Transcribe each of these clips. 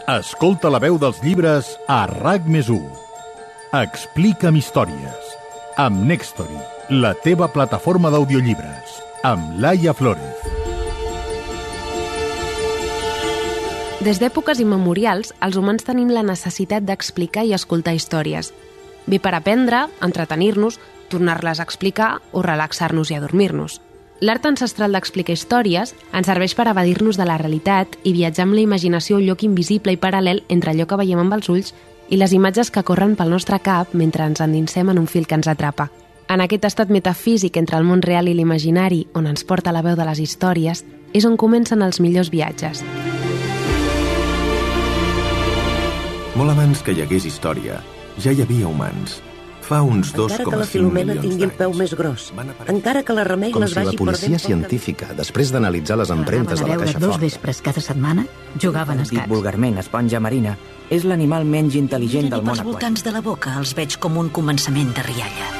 Escolta la veu dels llibres a RAC+1. Explica'm històries. Amb Nextory, la teva plataforma d'audiollibres. Amb Laia Flórez. Des d'èpoques immemorials, els humans tenim la necessitat d'explicar i escoltar històries. Bé per aprendre, entretenir-nos, tornar-les a explicar o relaxar-nos i adormir-nos. L'art ancestral d'explicar històries ens serveix per evadir-nos de la realitat i viatjar amb la imaginació a un lloc invisible i paral·lel entre allò que veiem amb els ulls i les imatges que corren pel nostre cap mentre ens endinsem en un fil que ens atrapa. En aquest estat metafísic entre el món real i l'imaginari, on ens porta la veu de les històries, és on comencen els millors viatges. Molt abans que hi hagués història, ja hi havia humans. Fa uns 2,5 milions d'anys. Encara que la Filomena tingui el peu més gros, encara que la Remei les vagi perdent... Com si la policia científica, després d'analitzar les empremtes de la caixa forta... Dos vespres cada setmana jugaven a escacs. Dit vulgarment, esponja marina, és l'animal menys intel·ligent del món aquàtic. Els voltants de la boca els veig com un començament de rialla.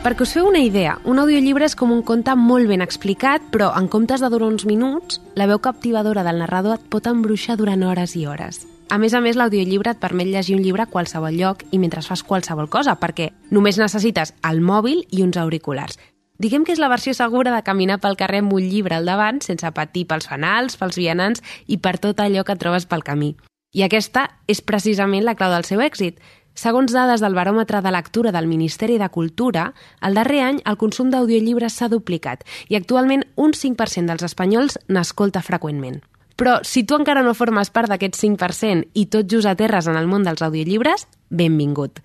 Perquè us feu una idea, un audiollibre és com un conte molt ben explicat, però en comptes de durar uns minuts, la veu captivadora del narrador et pot embruixar durant hores i hores. A més, l'audiollibre et permet llegir un llibre a qualsevol lloc i mentre fas qualsevol cosa, perquè només necessites el mòbil i uns auriculars. Diguem que és la versió segura de caminar pel carrer amb un llibre al davant sense patir pels fanals, pels vianants i per tot allò que trobes pel camí. I aquesta és precisament la clau del seu èxit. Segons dades del baròmetre de lectura del Ministeri de Cultura, el darrer any el consum d'audiollibres s'ha duplicat i actualment un 5% dels espanyols n'escolta freqüentment. Però si tu encara no formes part d'aquest 5% i tot just aterres en el món dels audiollibres, benvingut.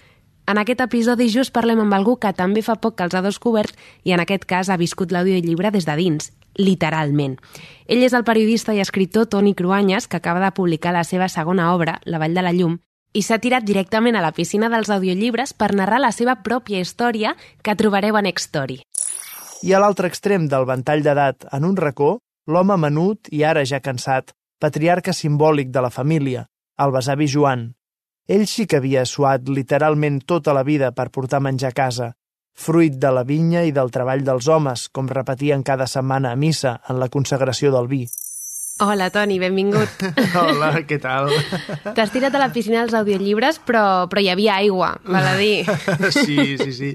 En aquest episodi just parlem amb algú que també fa poc que els ha descobert i en aquest cas ha viscut l'audiollibre des de dins, literalment. Ell és el periodista i escriptor Toni Cruanyes, que acaba de publicar la seva segona obra, La Vall de la Llum, i s'ha tirat directament a la piscina dels audiollibres per narrar la seva pròpia història que trobareu a Nextory. I a l'altre extrem del ventall d'edat, en un racó, l'home menut i ara ja cansat, patriarca simbòlic de la família, el besavi Joan. Ell sí que havia suat literalment tota la vida per portar menjar a casa, fruit de la vinya i del treball dels homes, com repetien cada setmana a missa en la consagració del vi. Hola, Toni, benvingut. Hola, què tal? T'has tirat a la piscina dels audiollibres, però hi havia aigua, val a dir. Sí.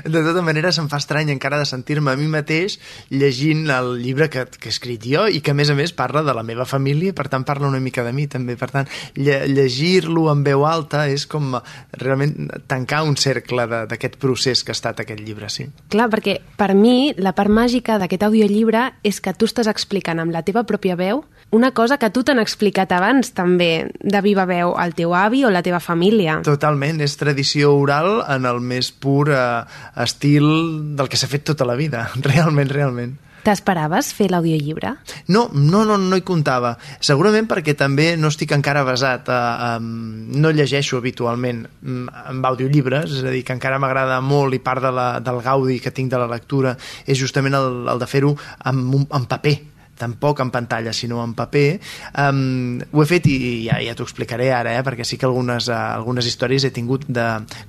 De tota manera, se'm fa estrany encara de sentir-me a mi mateix llegint el llibre que he escrit jo i que, a més, parla de la meva família, per tant, parla una mica de mi, també. Per tant, llegir-lo en veu alta és com realment tancar un cercle d'aquest procés que ha estat aquest llibre, sí. Clar, perquè per mi la part màgica d'aquest audiollibre és que tu estàs explicant amb la teva pròpia veu una cosa que tu t'han explicat abans, també, de viva veu, el teu avi o la teva família. Totalment, és tradició oral en el més pur estil del que s'ha fet tota la vida, realment. T'esperaves fer l'audiollibre? No hi comptava. Segurament perquè també no estic encara avesat. No llegeixo habitualment amb audiollibres, és a dir, que encara m'agrada molt i part del gaudi que tinc de la lectura és justament el de fer-ho en paper. Tampoc en pantalla, sinó en paper. Ho he fet i ja t'ho explicaré ara, perquè sí que algunes històries he tingut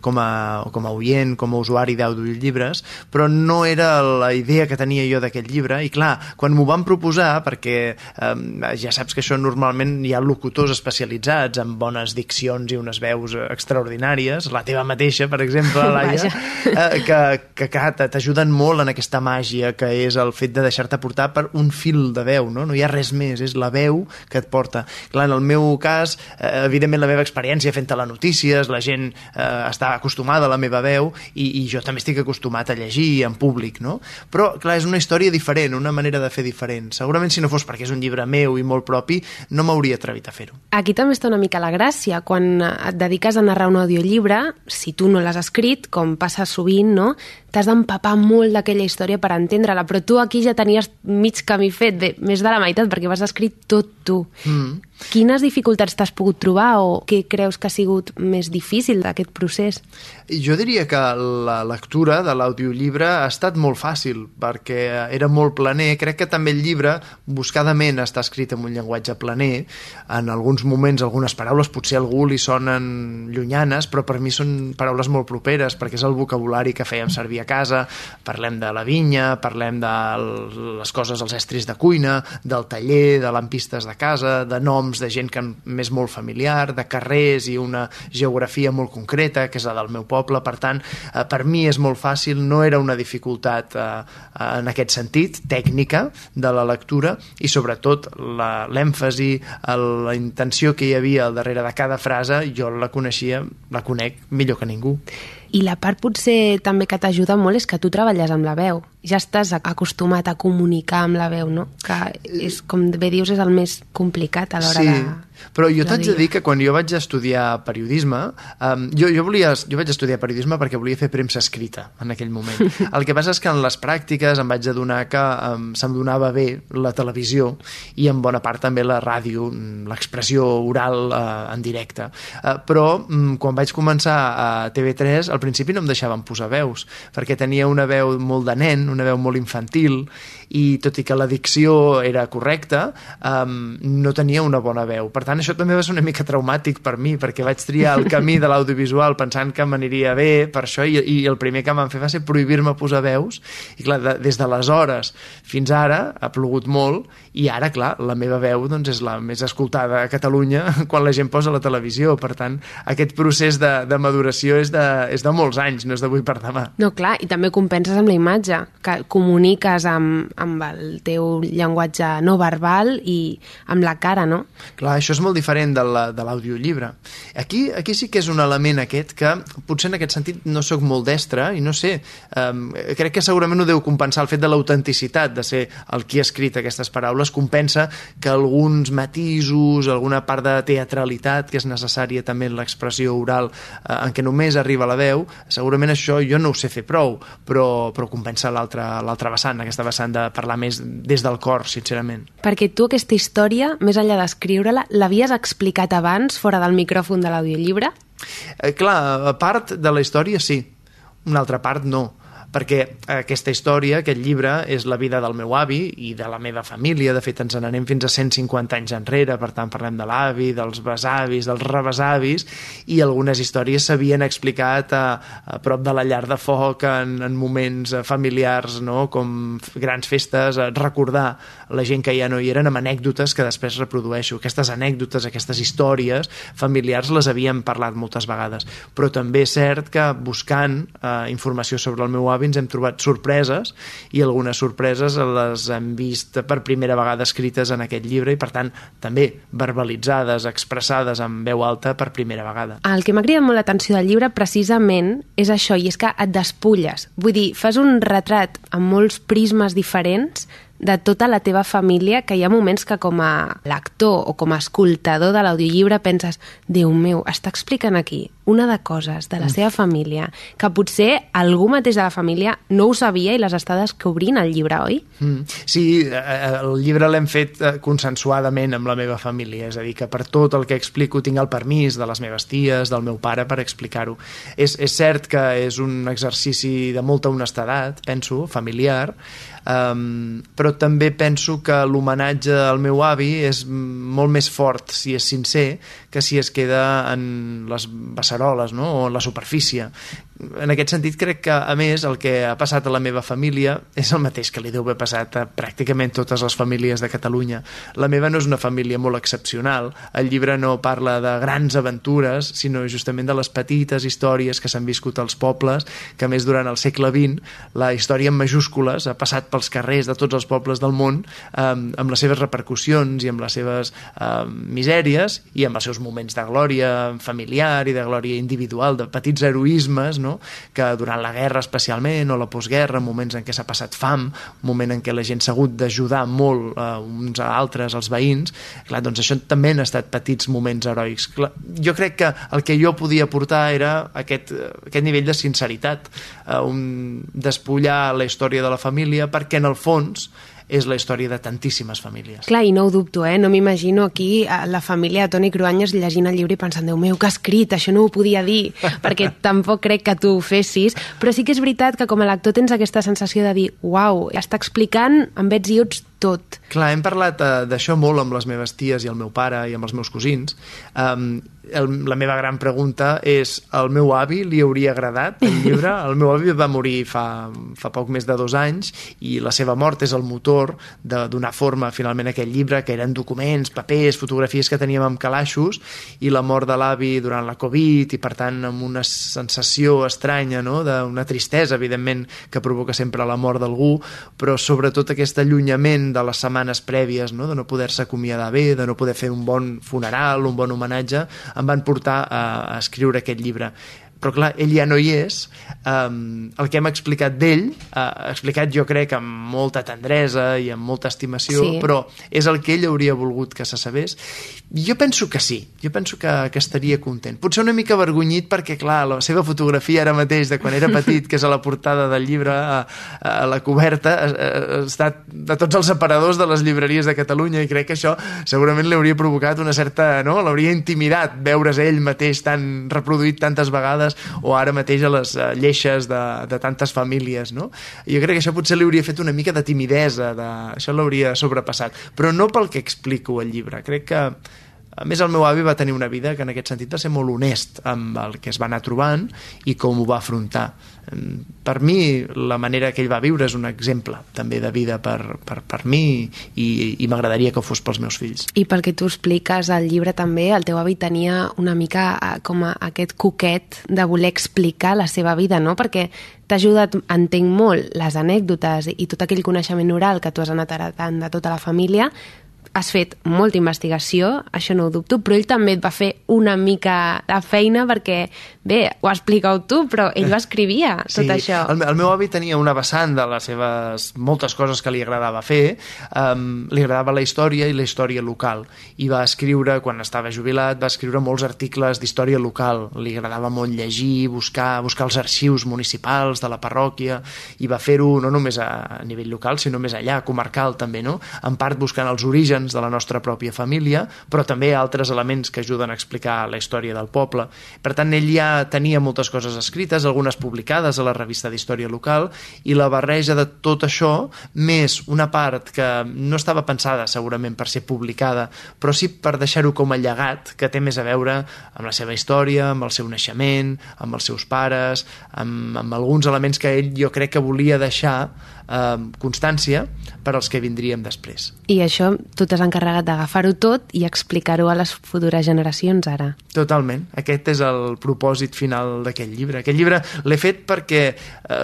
com a oient, com a usuari d'audiollibres, però no era la idea que tenia jo d'aquest llibre, i clar, quan m'ho van proposar, perquè ja saps que això normalment hi ha locutors especialitzats amb bones diccions i unes veus extraordinàries, la teva mateixa, per exemple, Laia, que t'ajuden molt en aquesta màgia que és el fet de deixar-te portar per un fil de veu, no hi ha res més, és la veu que et porta. Clar, en el meu cas, evidentment la meva experiència fent telenotícies, la gent està acostumada a la meva veu i jo també estic acostumat a llegir en públic, no? Però, clar, és una història diferent, una manera de fer diferent. Segurament si no fos perquè és un llibre meu i molt propi, no m'hauria atrevit a fer-ho. Aquí també està una mica la gràcia. Quan et dediques a narrar un audiollibre, si tu no l'has escrit, com passa sovint, no? T'has d'empapar molt d'aquella història per entendre-la, però tu aquí ja tenies mig camí fet, més de la meitat, perquè vas escrit tot tu. Quines dificultats t'has pogut trobar o què creus que ha sigut més difícil d'aquest procés? Jo diria que la lectura de l'audiollibre ha estat molt fàcil perquè era molt planer. Crec que també el llibre buscadament està escrit en un llenguatge planer. En alguns moments algunes paraules potser a algú li sonen llunyanes, però per mi són paraules molt properes perquè és el vocabulari que fèiem servir a casa. Parlem de la vinya, parlem de les coses, els estris de cuina, del taller, de lampistes de casa, de noms de gent que m'és molt familiar, de carrers i una geografia molt concreta, que és la del meu poble. Per tant, per mi és molt fàcil, no era una dificultat en aquest sentit, tècnica de la lectura, i sobretot l'èmfasi, la intenció que hi havia al darrere de cada frase, jo la conec millor que ningú. I la part potser també que t'ajuda molt és que tu treballes amb la veu. Ja estàs acostumat a comunicar amb la veu, no? Que és, com bé dius, és el més complicat a l'hora de... Però jo t'haig de dir que quan jo vaig estudiar periodisme, jo vaig estudiar periodisme perquè volia fer premsa escrita en aquell moment. El que passa és que en les pràctiques em vaig adonar que se'm donava bé la televisió i en bona part també la ràdio, l'expressió oral en directe. Però quan vaig començar a TV3, al principi no em deixaven posar veus, perquè tenia una veu molt de nen, una veu molt infantil, i tot i que la dicció era correcta, no tenia una bona veu. Per tant, això també va ser una mica traumàtic per mi, perquè vaig triar el camí de l'audiovisual pensant que m'aniria bé per això, i el primer que van fer va ser prohibir-me posar veus, i clar, des d'aleshores fins ara ha plogut molt, i ara, clar, la meva veu doncs, és la més escoltada a Catalunya quan la gent posa la televisió. Per tant, aquest procés de maduració és de molts anys, no és d'avui per demà. No, clar, i també compenses amb la imatge, que comuniques amb el teu llenguatge no verbal i amb la cara, no? Clar, això és molt diferent de l'audiollibre. Aquí sí que és un element aquest que potser en aquest sentit no sóc molt destre i no sé, crec que segurament ho deu compensar el fet de l'autenticitat de ser el qui ha escrit aquestes paraules, compensa que alguns matisos, alguna part de teatralitat que és necessària també en l'expressió oral en què només arriba la veu, segurament això jo no ho sé fer prou, però compensa l'altra vessant, aquesta vessant de parlar més des del cor, sincerament. Perquè tu aquesta història, més enllà d'escriure-la, l'havies explicat abans fora del micròfon de l'audiollibre? Clar, a part de la història sí, una altra part no, perquè aquesta història, aquest llibre, és la vida del meu avi i de la meva família. De fet, ens n'anem fins a 150 anys enrere, per tant parlem de l'avi, dels besavis, dels rebesavis, i algunes històries s'havien explicat a prop de la llar de foc en moments familiars, no? Com grans festes, recordar la gent que ja no hi eren amb anècdotes que després reprodueixo. Aquestes anècdotes, aquestes històries familiars les havíem parlat moltes vegades, però també és cert que buscant informació sobre el meu avi ens hem trobat sorpreses, i algunes sorpreses les hem vist per primera vegada escrites en aquest llibre i per tant també verbalitzades, expressades en veu alta per primera vegada. El que m'ha cridat molt l'atenció del llibre precisament és això, i és que et despulles. Vull dir, fas un retrat amb molts prismes diferents de tota la teva família, que hi ha moments que com a lector o com a escoltador de l'audiollibre penses, Déu meu, està explicant aquí una de coses de la seva família que potser algú mateix de la família no ho sabia i les està descobrint al llibre, oi? Sí, el llibre l'hem fet consensuadament amb la meva família, és a dir, que per tot el que explico tinc el permís de les meves ties, del meu pare per explicar-ho. És cert que és un exercici de molta honestedat, penso, familiar, però també penso que l'homenatge al meu avi és molt més fort si és sincer que si es queda en les beceroles, no? O en la superfície. En aquest sentit crec que a més el que ha passat a la meva família és el mateix que li deu haver passat a pràcticament totes les famílies de Catalunya. La meva no és una família molt excepcional, el llibre no parla de grans aventures, sinó justament de les petites històries que s'han viscut als pobles, que a més durant el segle XX la història en majúscules ha passat pels carrers de tots els pobles del món amb les seves repercussions i amb les seves misèries i amb els seus moments de glòria familiar i de glòria individual, de petits heroismes, no? Que durant la guerra especialment o la postguerra, moments en què s'ha passat fam, un moment en què la gent s'ha hagut d'ajudar molt uns a altres, els veïns, clar, doncs això també han estat petits moments heroics. Clar, jo crec que el que jo podia portar era aquest nivell de sinceritat, despullar la història de la família, perquè en el fons és la història de tantíssimes famílies. Clar, i no ho dubto, no m'imagino aquí la família de Toni Cruanyes llegint el llibre i pensant, Déu meu, que ha escrit, això no ho podia dir, perquè tampoc crec que tu ho fessis, però sí que és veritat que com a lector tens aquesta sensació de dir, uau, està explicant amb ets i uts tot. Clar, hem parlat d'això molt amb les meves ties i el meu pare i amb els meus cosins. La meva gran pregunta és, al meu avi li hauria agradat el llibre? El meu avi va morir fa poc més de 2 anys i la seva mort és el motor de donar forma finalment a aquest llibre, que eren documents, papers, fotografies que teníem amb calaixos, i la mort de l'avi durant la Covid, i per tant amb una sensació estranya, no? D'una tristesa, evidentment, que provoca sempre la mort d'algú, però sobretot aquest allunyament de les setmanes prèvies, no? De no poder-se acomiadar bé, de no poder fer un bon funeral, un bon homenatge, em van portar a escriure aquest llibre. Però clar, ell ja no hi és. El que hem explicat d'ell, explicat jo crec amb molta tendresa i amb molta estimació, sí. Però és el que ell hauria volgut que se sabés. Jo penso que sí, jo penso que estaria content. Potser una mica avergonyit perquè, clar, la seva fotografia ara mateix de quan era petit, que és a la portada del llibre, a la coberta, ha estat de tots els aparadors de les llibreries de Catalunya, i crec que això segurament li hauria provocat una certa, no? L'hauria intimidat veure's ell mateix tan reproduït tantes vegades, o ara mateix a les lleixes de tantes famílies, no? Jo crec que això potser li hauria fet una mica de timidesa, això l'hauria sobrepassat, però no pel que explico al llibre. Crec que, a més, el meu avi va tenir una vida que en aquest sentit va ser molt honest amb el que es va anar trobant i com ho va afrontar. Per mi, la manera que ell va viure és un exemple també de vida per mi, i m'agradaria que ho fos pels meus fills. I pel que tu expliques al llibre també, el teu avi tenia una mica com aquest coquet de voler explicar la seva vida, no? Perquè t'ha ajudat, entenc molt, les anècdotes i tot aquell coneixement oral que tu has anat heretant de tota la família. Has fet molta investigació, això no ho dubto, però ell també et va fer una mica de feina perquè, bé, ho expliqueu tu, però ell ho escrivia, tot això. El meu avi tenia una vessant de les seves moltes coses que li agradava fer, li agradava la història i la història local, i va escriure, quan estava jubilat, va escriure molts articles d'història local, li agradava molt llegir, buscar els arxius municipals de la parròquia, i va fer-ho no només a nivell local, sinó més allà, comarcal també, no? En part buscant els orígens de la nostra pròpia família, però també altres elements que ajuden a explicar la història del poble. Per tant, ell ja tenia moltes coses escrites, algunes publicades a la revista d'història local, i la barreja de tot això, més una part que no estava pensada segurament per ser publicada, però sí per deixar-ho com a llegat, que té més a veure amb la seva història, amb el seu naixement, amb els seus pares, amb alguns elements que ell jo crec que volia deixar constància per als que vindríem després. I això tu t'has encarregat d'agafar-ho tot i explicar-ho a les futures generacions ara. Totalment. Aquest és el propòsit final d'aquest llibre. Aquest llibre l'he fet perquè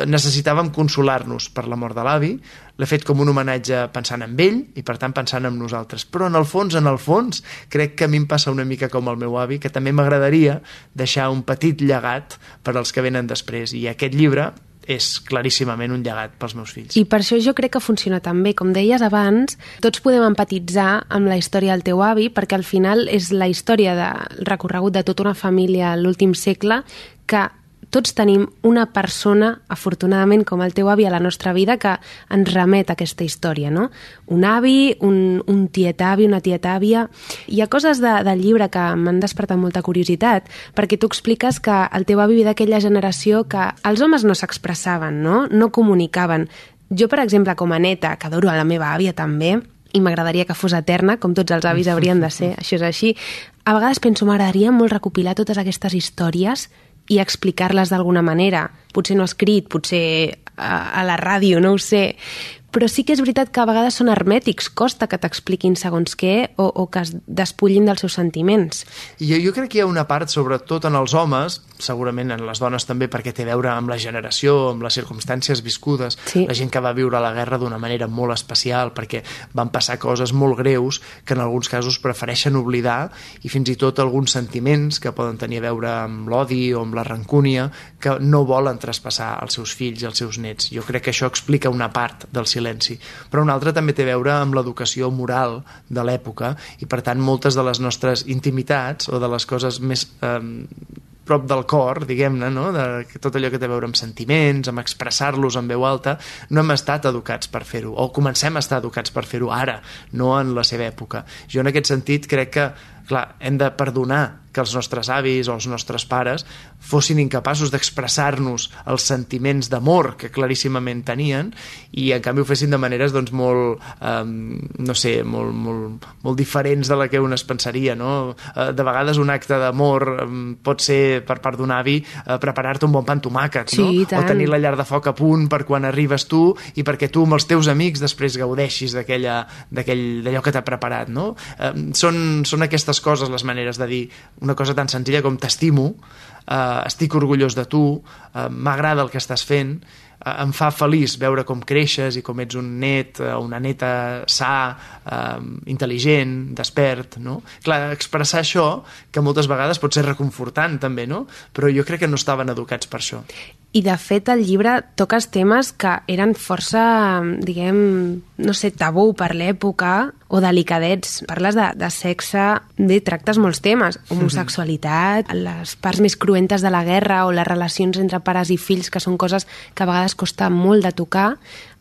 necessitàvem consolar-nos per la mort de l'avi, l'he fet com un homenatge pensant en ell i per tant pensant en nosaltres, però en el fons, crec que a mi em passa una mica com el meu avi, que també m'agradaria deixar un petit llegat per als que venen després, i aquest llibre és claríssimament un llegat pels meus fills. I per això jo crec que funciona tan bé. Com deies abans, tots podem empatitzar amb la història del teu avi, perquè al final és la història del recorregut de tota una família a l'últim segle, que tots tenim una persona, afortunadament, com el teu avi a la nostra vida, que ens remet a aquesta història, no? Un avi, un tiet-avi, una tieta-àvia. Hi ha coses del llibre que m'han despertat molta curiositat, perquè tu expliques que el teu avi ve d'aquella generació que els homes no s'expressaven, no? No comunicaven. Jo, per exemple, com a neta, que adoro a la meva àvia també, i m'agradaria que fos eterna, com tots els avis haurien de ser, això és així, a vegades penso, m'agradaria molt recopilar totes aquestes històries i explicar-les d'alguna manera. Potser no escrit, potser a la ràdio, no ho sé. Però sí que és veritat que a vegades són hermètics, costa que t'expliquin segons què o que es despullin dels seus sentiments. I jo crec que hi ha una part, sobretot en els homes, segurament en les dones també, perquè té a veure amb la generació, amb les circumstàncies viscudes, sí. La gent que va viure la guerra d'una manera molt especial, perquè van passar coses molt greus que en alguns casos prefereixen oblidar, i fins i tot alguns sentiments que poden tenir a veure amb l'odi o amb la rancúnia, que no volen traspassar als seus fills i als seus nets. Jo crec que això explica una part del silenci, però una altra també té a veure amb l'educació moral de l'època, i per tant moltes de les nostres intimitats o de les coses més prop del cor, diguem-ne, no? De tot allò que té a veure amb sentiments, amb expressar-los en veu alta, no hem estat educats per fer-ho, o comencem a estar educats per fer-ho ara, no en la seva època. Jo en aquest sentit crec que, clar, hem de perdonar que els nostres avis o els nostres pares fossin incapaços d'expressar-nos els sentiments d'amor que claríssimament tenien i en canvi ho fessin de maneres doncs molt, no sé, molt diferents de la que un es pensaria, no? De vegades un acte d'amor pot ser per part d'un avi preparar-te un bon pa amb tomàquet, no? Sí, o tenir la llar de foc a punt per quan arribes tu i perquè tu amb els teus amics després gaudeixis d'allò que t'ha preparat, no? Són aquestes coses les maneres de dir una cosa tan senzilla com t'estimo, estic orgullós de tu, m'agrada el que estàs fent, em fa feliç veure com creixes i com ets un net o una neta sa, intel·ligent, despert, no? Clar, expressar això, que moltes vegades pot ser reconfortant també, no? Però jo crec que no estaven educats per això. I, de fet, el llibre toques temes que eren força, diguem, no sé, tabú per l'època o delicadets. Parles de sexe, tractes molts temes. Homosexualitat, les parts més cruentes de la guerra o les relacions entre pares i fills, que són coses que a vegades costa molt de tocar.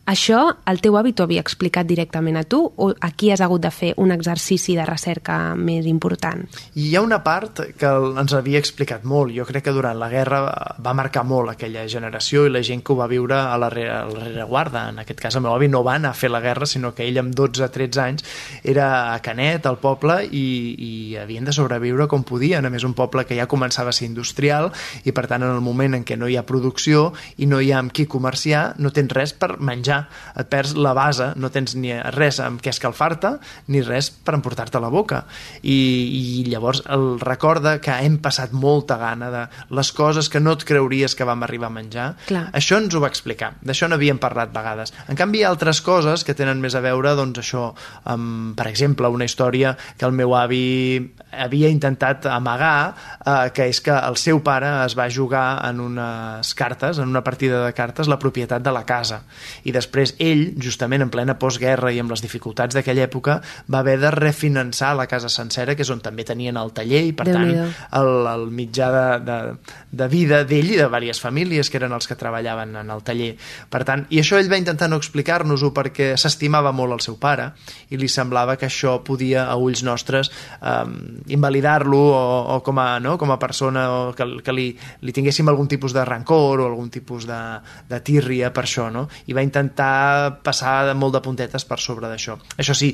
Això el teu avi t'ho havia explicat directament a tu o aquí has hagut de fer un exercici de recerca més important? Hi ha una part que ens havia explicat molt. Jo crec que durant la guerra va marcar molt aquella generació i la gent que ho va viure a la rereguarda. En aquest cas el meu avi no va anar a fer la guerra, sinó que ell amb 12-13 anys era a Canet, al poble, i havien de sobreviure com podien. A més, un poble que ja començava a ser industrial i per tant en el moment en què no hi ha producció i no hi ha amb qui comerciar, no tens res per menjar, et perds la base, no tens ni res amb què escalfar-te ni res per emportar-te a la boca i llavors el recorda que hem passat molta gana de les coses que no et creuries que vam arribar a menjar. Clar. Això ens ho va explicar, d'això n'havíem parlat vegades. En canvi hi ha altres coses que tenen més a veure doncs això, per exemple una història que el meu avi havia intentat amagar, que és que el seu pare es va jugar en unes cartes, en una partida de cartes, la propietat de la casa i després ell, justament en plena postguerra i amb les dificultats d'aquella època, va haver de refinançar la casa sencera, que és on també tenien el taller i per tant el mitjà de vida d'ell i de diverses famílies que eren els que treballaven en el taller. Per tant, i això ell va intentar no explicar-nos-ho perquè s'estimava molt el seu pare i li semblava que això podia a ulls nostres invalidar-lo o com a persona o que li tinguéssim algun tipus de rancor o algun tipus de tírria per això, no? I va intentar passar molt de puntetes per sobre d'això. Això sí,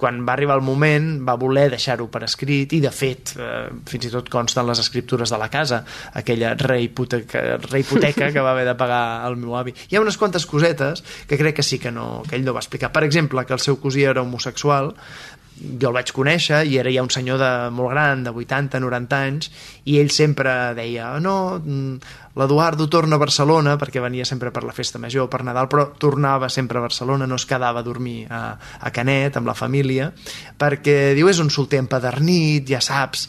quan va arribar el moment va voler deixar-ho per escrit i de fet fins i tot consten les escriptures de la casa, aquella rehipoteca que va haver de pagar el meu avi. Hi ha unes quantes cosetes que crec que sí que ell no va explicar. Per exemple, que el seu cosí era homosexual, jo el vaig conèixer i era ja un senyor molt gran, de 80-90 anys, i ell sempre deia l'Eduardo torna a Barcelona, perquè venia sempre per la festa major, per Nadal, però tornava sempre a Barcelona, no es quedava a dormir a Canet amb la família, perquè diu és un solter empadernit, ja saps,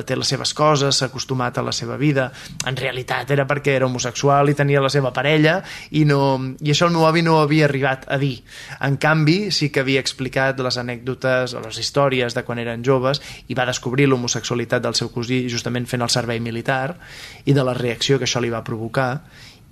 té les seves coses, s'ha acostumat a la seva vida. En realitat era perquè era homosexual i tenia la seva parella i això el meu avi no ho havia arribat a dir. En canvi, sí que havia explicat les anècdotes o les històries de quan eren joves i va descobrir l'homosexualitat del seu cosí justament fent el servei militar i de la reacció que això li va provocar,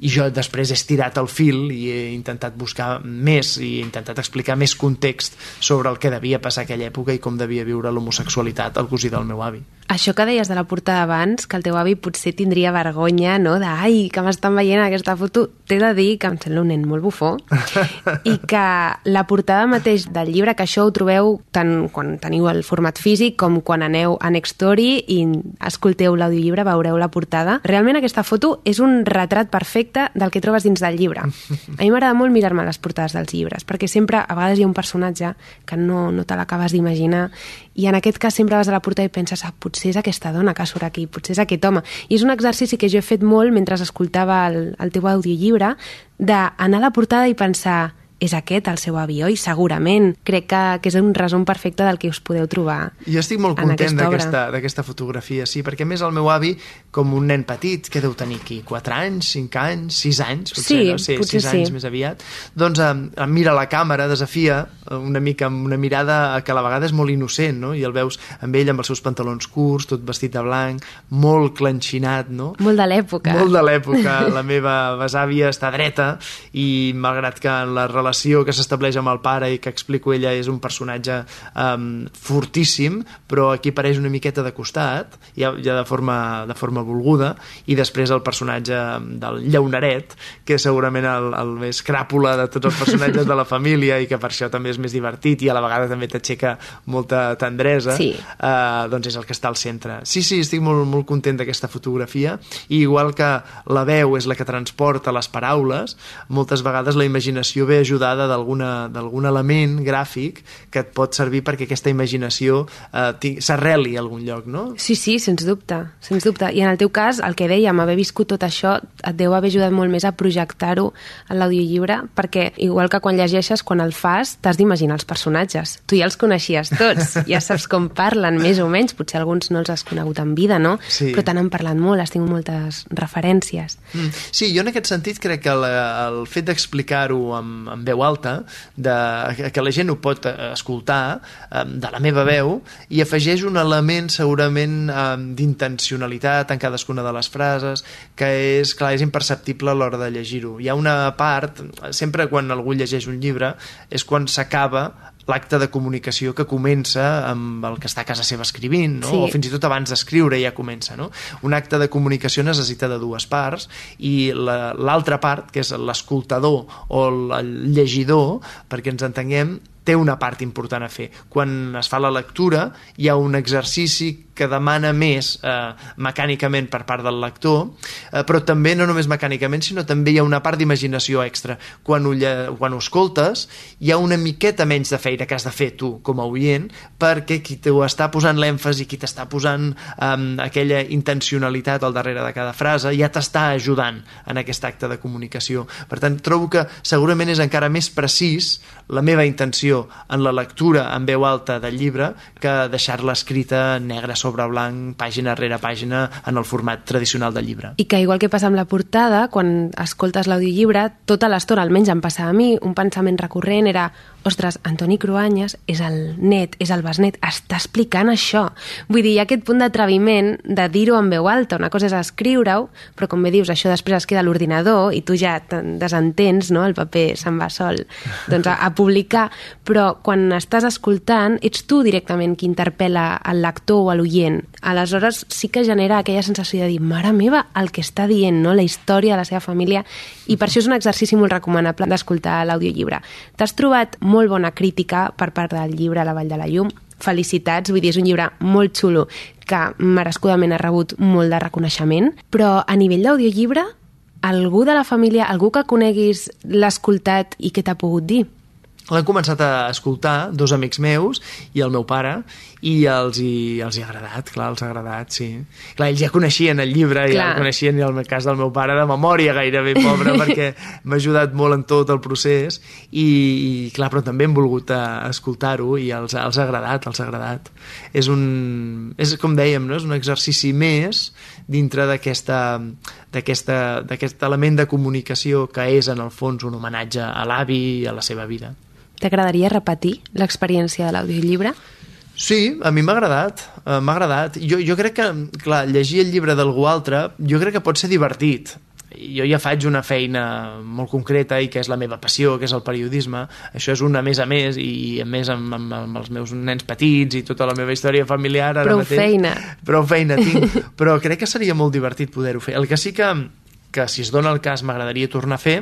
i jo després he estirat el fil i he intentat buscar més i he intentat explicar més context sobre el que devia passar aquella època i com devia viure l'homosexualitat el cosí del meu avi. Això que deies de la portada abans, que el teu avi potser tindria vergonya, no?, de ai, que m'estan veient aquesta foto, t'he de dir que em sembla un nen molt bufó i que la portada mateix del llibre, que això ho trobeu tant quan teniu el format físic com quan aneu a Nextory i escolteu l'audiollibre, veureu la portada. Realment aquesta foto és un retrat perfecte del que trobes dins del llibre. A mi m'agrada molt mirar-me les portades dels llibres, perquè sempre, a vegades hi ha un personatge que no te l'acabes d'imaginar i en aquest cas sempre vas a la portada i penses potser és aquesta dona que surt aquí, potser és aquest home. I és un exercici que jo he fet molt mentre escoltava el teu audiollibre, d'anar a la portada i pensar és aquest el seu avi, oi? Segurament. Crec que és un resum perfecte del que us podeu trobar. Jo estic molt content d'aquesta fotografia, sí, perquè a més el meu avi, com un nen petit, que deu tenir aquí 4 anys, 5 anys, 6 anys, potser, no sé, 6 anys més aviat, doncs em mira la càmera, desafia una mica amb una mirada que a la vegada és molt innocent, no? I el veus amb ell amb els seus pantalons curts, tot vestit de blanc, molt clenxinat, no? Molt de l'època. Molt de l'època. La meva besàvia està dreta i malgrat que en la relació que s'estableix amb el pare i que explico ella és un personatge fortíssim, però aquí apareix una miqueta de costat, ja de forma volguda, i després el personatge del llauneret, que és segurament el més cràpula de tots els personatges de la família i que per això també és més divertit i a la vegada també t'aixeca molta tendresa, doncs és el que està al centre. Sí, estic molt, molt content d'aquesta fotografia, i igual que la veu és la que transporta les paraules, moltes vegades la imaginació ve ajudada d'algun element gràfic que et pot servir perquè aquesta imaginació s'arreli a algun lloc, no? Sí, sens dubte. I en el teu cas, el que dèiem, haver viscut tot això et deu haver ajudat molt més a projectar-ho en l'audiollibre, perquè igual que quan llegeixes, quan el fas, t'has d'imaginar els personatges. Tu ja els coneixies tots, ja saps com parlen, més o menys, potser alguns no els has conegut en vida, no? Sí. Però t'han parlat molt, has tingut moltes referències. Sí, jo en aquest sentit crec que el fet d'explicar-ho amb veu alta, que la gent ho pot escoltar de la meva veu, i afegeix un element segurament d'intencionalitat en cadascuna de les frases, que és, clar, és imperceptible a l'hora de llegir-ho. Hi ha una part, sempre quan algú llegeix un llibre, és quan s'acaba l'acte de comunicació que comença amb el que està a casa seva escrivint, no? O fins i tot abans d'escriure ja comença, no? Un acte de comunicació necessita de 2 parts i l'altra part, que és l'escoltador o el llegidor, perquè ens entenguem, té una part important a fer. Quan es fa la lectura hi ha un exercici que demana més mecànicament per part del lector, però també no només mecànicament, sinó també hi ha una part d'imaginació extra. Quan ho escoltes hi ha una miqueta menys de feina que has de fer tu com a oient, perquè qui t'ho està posant l'èmfasi, qui t'està posant aquella intencionalitat al darrere de cada frase, ja t'està ajudant en aquest acte de comunicació. Per tant, trobo que segurament és encara més precís la meva intenció en la lectura en veu alta del llibre que deixar-la escrita negre sobre blanc, pàgina rere pàgina, en el format tradicional del llibre. I que igual que passa amb la portada, quan escoltes l'audiollibre, tota l'estona, almenys em passava a mi, un pensament recurrent era: ostres, Antoni Cruanyes és el net, és el besnet, està explicant això. Vull dir, hi ha aquest punt d'atreviment de dir-ho en veu alta. Una cosa és escriure-ho, però com bé dius, això després es queda a l'ordinador i tu ja te'n desentens, no? El paper se'n va sol a publicar, però quan estàs escoltant ets tu directament qui interpel·la el lector o l'oient. Aleshores sí que genera aquella sensació de dir: mare meva, el que està dient, no? La història de la seva família, i per això és un exercici molt recomanable d'escoltar l'audiollibre. T'has trobat molt bona crítica per part del llibre La Vall de la Llum. Felicitats, vull dir, és un llibre molt xulo que merescudament ha rebut molt de reconeixement, però a nivell d'audiollibre, algú de la família, algú que coneguis, l'ha escoltat i què t'ha pogut dir? L'han començat a escoltar 2 amics meus i el meu pare, i els hi ha agradat, clar, els ha agradat, sí. Clar, ells ja coneixien el llibre, ja el coneixien, i en el cas del meu pare de memòria gairebé, pobre, perquè m'ha ajudat molt en tot el procés, i clar, però també hem volgut escoltar-ho i els ha agradat. És com dèiem, no? És un exercici més dintre d'aquest element de comunicació que és, en el fons, un homenatge a l'avi i a la seva vida. T'agradaria repetir l'experiència de l'audiollibre? Sí, a mi m'ha agradat. Jo crec que, clar, llegir el llibre d'algú altre, jo crec que pot ser divertit. Jo ja faig una feina molt concreta i que és la meva passió, que és el periodisme. Això és una més a més, i a més amb els meus nens petits i tota la meva història familiar ara mateix. Prou feina tinc. Però crec que seria molt divertit poder-ho fer. El que sí que si es dona el cas m'agradaria tornar a fer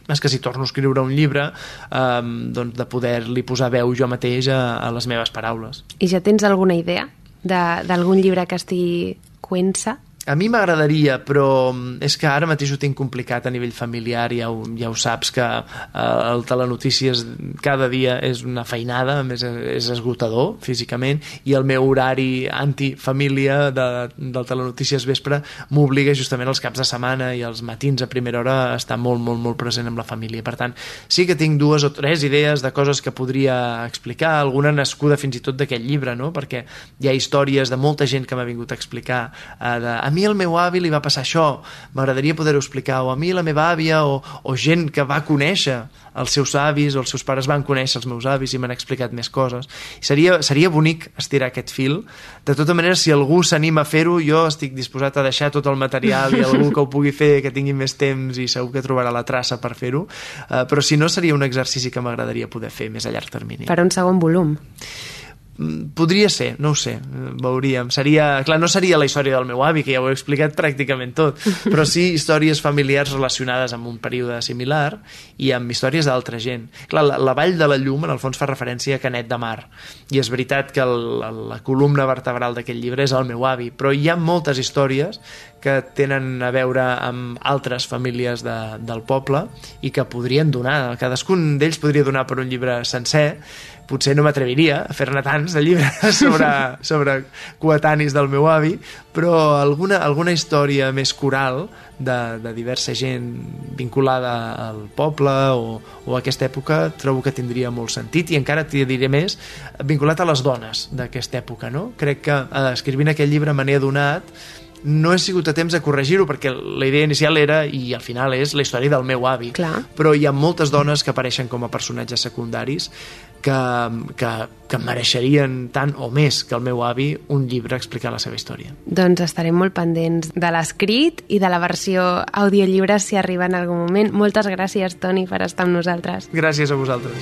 és que si torno a escriure un llibre, doncs de poder-li posar veu jo mateix a les meves paraules. I ja tens alguna idea d'algun llibre que estigui cuent-se? A mi m'agradaria, però és que ara mateix ho tinc complicat a nivell familiar, ja ho saps, que el Telenotícies cada dia és una feinada, a més és esgotador físicament, i el meu horari antifamília del Telenotícies vespre m'obliga justament els caps de setmana i els matins a primera hora a estar molt, molt, molt present amb la família. Per tant, sí que tinc 2 o 3 idees de coses que podria explicar, alguna nascuda fins i tot d'aquest llibre, no? Perquè hi ha històries de molta gent que m'ha vingut a explicar a mi al meu avi li va passar això, m'agradaria poder-ho explicar, o a mi la meva àvia, o gent que va conèixer els seus avis, o els seus pares van conèixer els meus avis i m'han explicat més coses. Seria bonic estirar aquest fil. De tota manera, si algú s'anima a fer-ho, jo estic disposat a deixar tot el material i algú que ho pugui fer, que tingui més temps i segur que trobarà la traça per fer-ho, però si no, seria un exercici que m'agradaria poder fer més a llarg termini. Per un segon volum. Podria ser, no ho sé, veuríem. Clar, no seria la història del meu avi, que ja ho he explicat pràcticament tot, però sí històries familiars relacionades amb un període similar i amb històries d'altra gent. Clar, la Vall de la Llum en el fons fa referència a Canet de Mar, i és veritat que la columna vertebral d'aquest llibre és el meu avi, però hi ha moltes històries que tenen a veure amb altres famílies del poble i que podrien donar, cadascun d'ells podria donar per un llibre sencer. Potser no m'atreviria a fer-ne tants de llibres sobre coetanis del meu avi, però alguna història més coral de diversa gent vinculada al poble o a aquesta època trobo que tindria molt sentit, i encara t'hi diré més, vinculat a les dones d'aquesta època, no? Crec que escrivint aquest llibre me n'he adonat. No he sigut a temps de corregir-ho perquè la idea inicial era, i al final és, la història del meu avi. Clar. Però hi ha moltes dones que apareixen com a personatges secundaris que mereixerien tant o més que el meu avi un llibre explicant la seva història. Doncs estarem molt pendents de l'escrit i de la versió audiollibre si arriba en algun moment. Moltes gràcies, Toni, per estar amb nosaltres. Gràcies a vosaltres.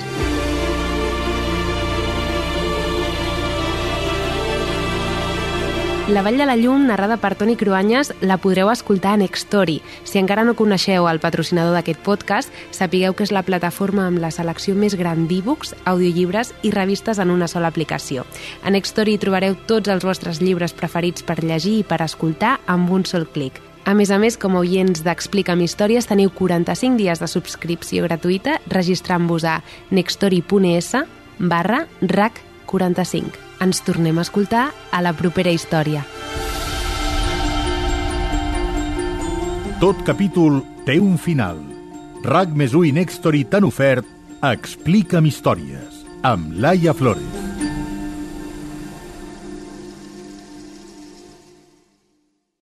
La Vall de la Llum, narrada per Toni Cruanyes, la podreu escoltar a Nextory. Si encara no coneixeu el patrocinador d'aquest podcast, sapigueu que és la plataforma amb la selecció més gran d'e-books, audiollibres i revistes en una sola aplicació. A Nextory trobareu tots els vostres llibres preferits per llegir i per escoltar amb un sol clic. A més, com a oients d'Explica'm Històries, teniu 45 dies de subscripció gratuïta registrant-vos a nextory.es/RAC45. Ens tornem a escoltar a la propera història. Tot capítol té un final. RAC+1 i Nextory t'han ofert Explica'm Històries, amb Laia Flores.